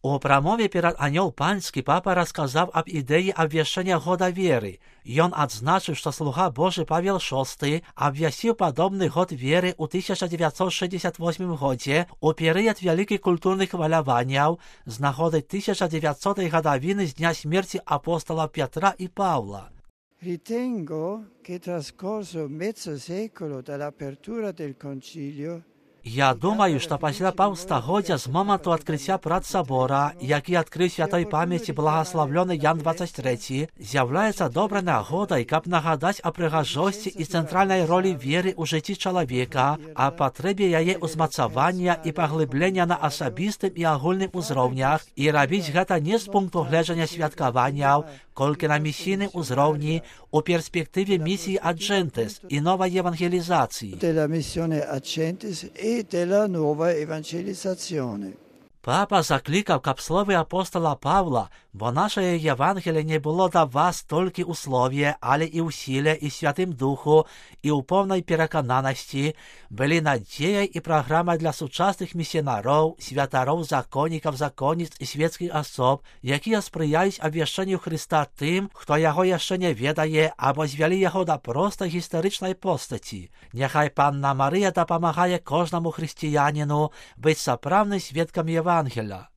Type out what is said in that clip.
У прамове перад Анёл Панскі папа расказаў аб ідэі абвяшчэння года веры. Ён адзначыў, што слуга Божы Павел VI абвясціў падобны год веры ў 1968 годзе у перыяд вялікіх культурных хваляванняў з нагоды 1900 гадавіны з дня смерці апостолаў Петра і Павла. Ritengo che trascorso mezzo secolo dall'apertura del concilio. Я думаю, што пасля паўстагоддзя з моманту адкрыцця прац сабора, які адкрыў святой памяці благаславлёны Ян 23, з'яўляецца добрай нагодай, каб нагадаць о прыгажосці і цэнтральнай ролі веры ў жыцці чалавека, а патрэбе яе ўзмацавання і паглыблення на асабістым і агульным узроўнях, і рабіць гэта не з пункту гледжання святкаванняў, колькі на місійным узроўні у перспектыве місіі Аджентес і новай евангелізацыі. E della nuova evangelizzazione. Папа заклікаў, каб словы апостола Павла, бо нашае Євангеліє не було да вас толькі ў слове, але і ў сіле і Святым Духу, і ў поўнай перакананасці, былі надзеяй і праграмай для сучасных місінароў, святароў, законнікаў, законніц і свецкіх асоб, якія спрыяюць абвяшчэнню Хрыста тым, хто яго яшчэ не ведае або звялі яго да простай гістарычнай постаці. Няхай Панна Марыя дапамагае кожнаму хрысціяніну быць сапраўдным сведкам Євангелія.